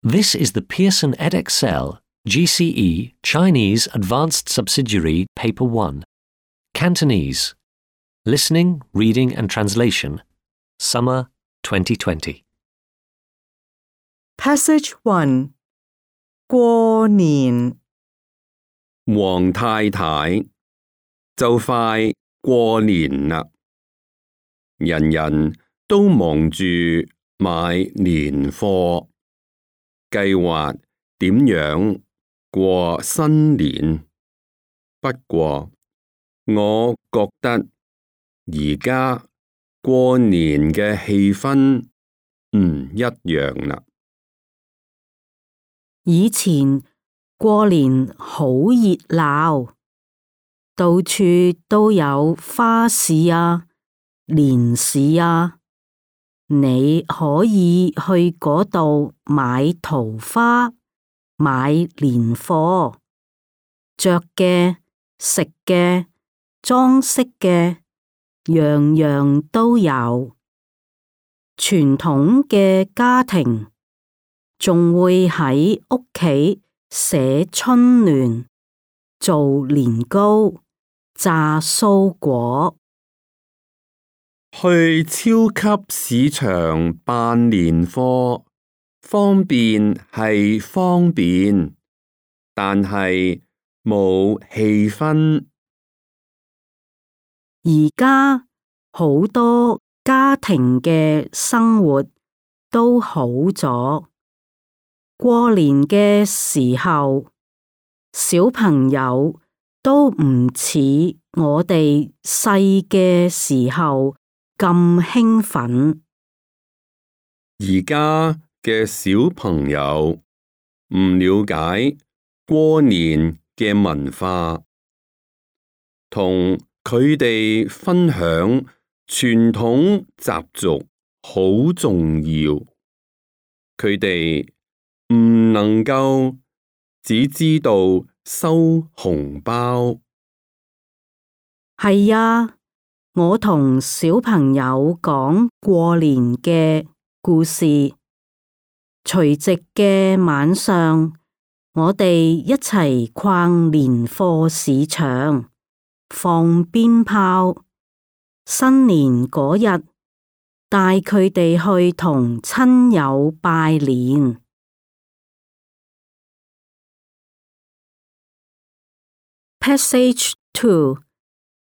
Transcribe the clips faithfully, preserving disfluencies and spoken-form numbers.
This is the Pearson Edexcel G C E Chinese Advanced Subsidiary Paper one. Cantonese. Listening, Reading and Translation. Summer twenty twenty. Passage one. 過年黃太太，就快過年啦，人人都忙住買年貨，計劃點樣過新年。不過，我覺得而家過年嘅氣氛唔一樣啦。以前過年好熱鬧，到處都有花市啊、年市啊，你可以去嗰度買桃花、買年貨，着嘅、食嘅、裝飾嘅，樣樣都有。傳統嘅家庭仲會喺屋企寫春聯、做年糕、炸酥果。去超級市場辦年貨，方便係方便，但係冇氣氛。而家好多家庭嘅生活都好咗。過年嘅時候，小朋友都唔似我哋細嘅時候咁興奮。而家嘅小朋友唔了解過年嘅文化，同佢哋分享傳統習俗好重要。佢哋唔能夠只知道收紅包。係啊，我同小朋友講過年嘅故事。除夕嘅晚上，我哋一齊逛年貨市場，放鞭炮。新年嗰日，帶佢哋去同親友拜年。Passage two.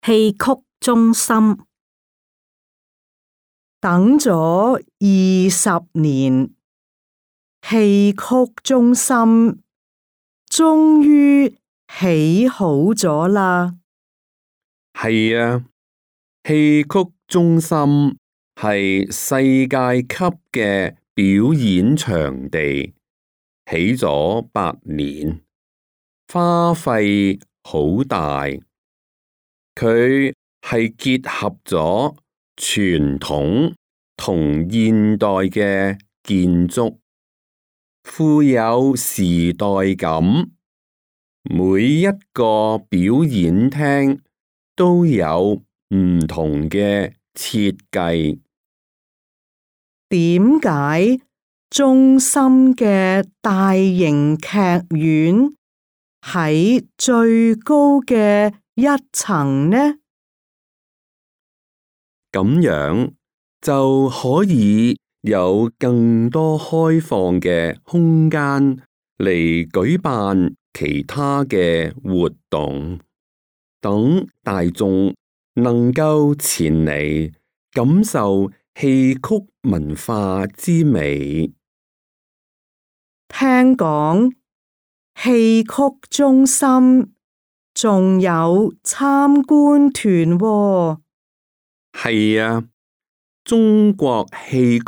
戲曲中心。等咗二十年，戲曲中心終於起好咗啦。係啊，戲曲中心係世界級嘅表演場地，起咗八年，花費好大。佢係結合咗傳統同現代嘅建築，富有時代感。每一個表演廳都有唔同嘅設計。點解中心嘅大型劇院喺最高嘅一層呢？咁樣就可以有更多開放嘅空間嚟舉辦其他嘅活動，等大眾能夠前嚟感受戲曲文化之美。聽講戲曲中心仲有參觀團喎。係啊，中國戲曲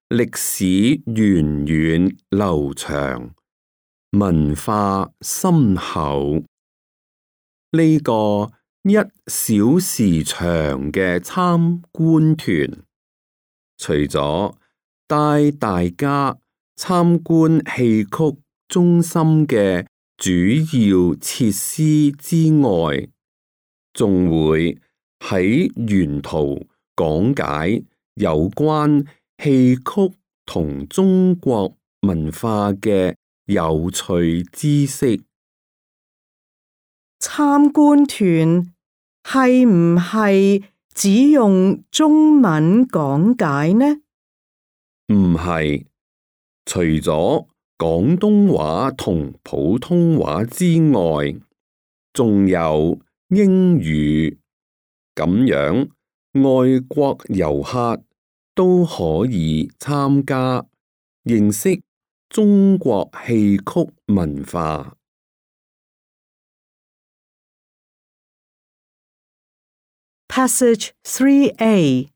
歷史源遠流長，文化深厚。呢個一小時長嘅參觀團，除咗帶大家參觀戲曲中心嘅主要設施之外，仲會喺沿途講解有關戲曲同中國文化嘅有趣知識。參觀團係唔係只用中文講解呢？唔係，除咗廣東話同普通話之外，仲有英語，咁樣外國遊客都可以參加，認識中國戲曲文化。Passage three A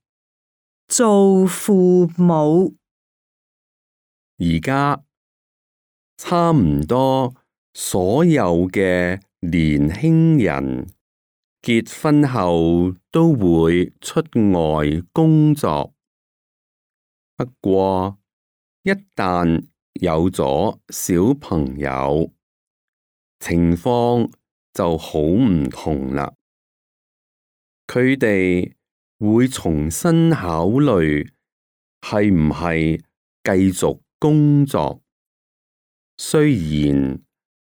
做父母。而家差唔多所有嘅年輕人結婚後都會出外工作，不過一旦有咗小朋友，情況就好唔同啦。佢哋會重新考慮係唔係繼續工作。雖然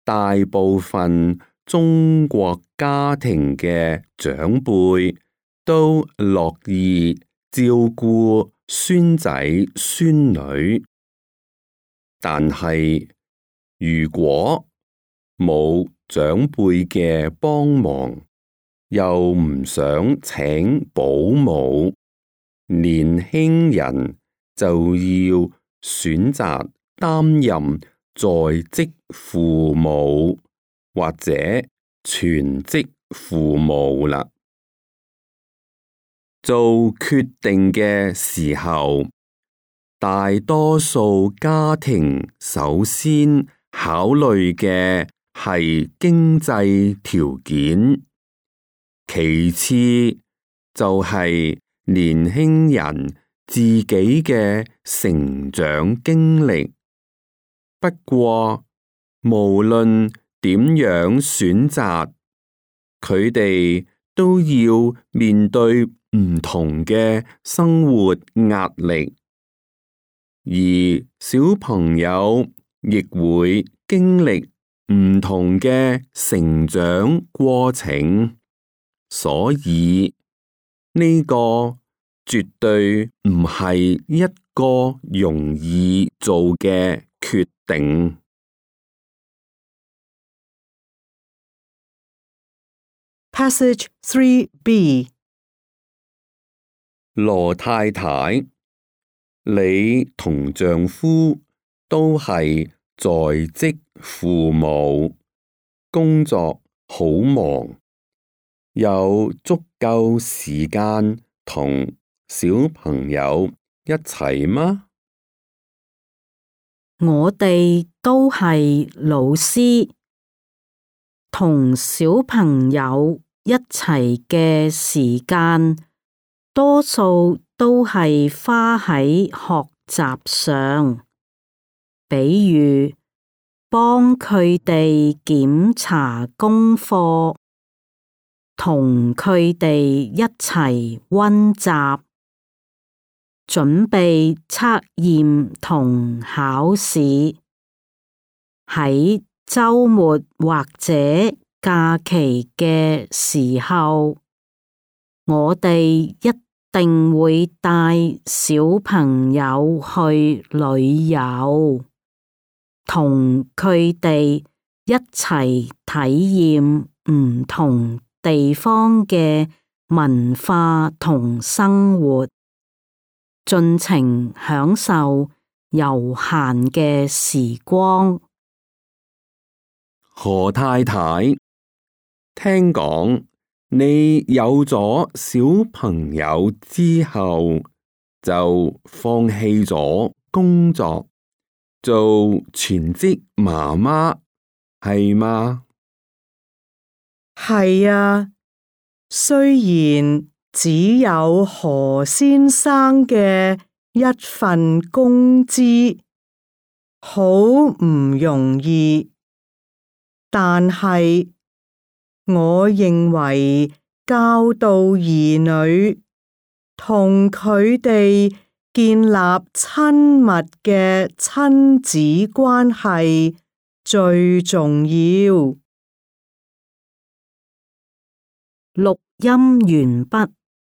大部分中國家庭嘅長輩都樂意照顧孫仔孫女，但係如果冇長輩嘅幫忙，又唔想請保姆，年輕人就要選擇擔任在職父母或者全職父母啦。做決定嘅時候，大多數家庭首先考慮嘅係經濟條件，其次就係年輕人自己嘅成長經歷。不過，無論點樣選擇，佢哋都要面對唔同嘅生活壓力，而小朋友亦會經歷唔同嘅成長過程，所以呢個絕對唔係一個容易做嘅決定。Passage three B 羅太太，你同丈夫都係在職父母，工作好忙，有足夠時間同小朋友一齊嗎？我哋都係老師，同小朋友一齊嘅時間，多數都係花喺學習上，比如幫佢哋檢查功課，同佢哋一齊溫習，準備測驗同考試。喺週末或者假期嘅時候，我哋一定會帶小朋友去旅遊，同佢哋一齊體驗唔同地方嘅文化同生活，盡情享受悠閒嘅時光。何太太，聽講你有咗小朋友之後，就放棄咗工作，做全職媽媽，係嗎？係啊，雖然只有何先生嘅一份工資，好唔容易，但係我認為教導兒女同佢哋建立親密嘅親子關係最重要。錄音完畢。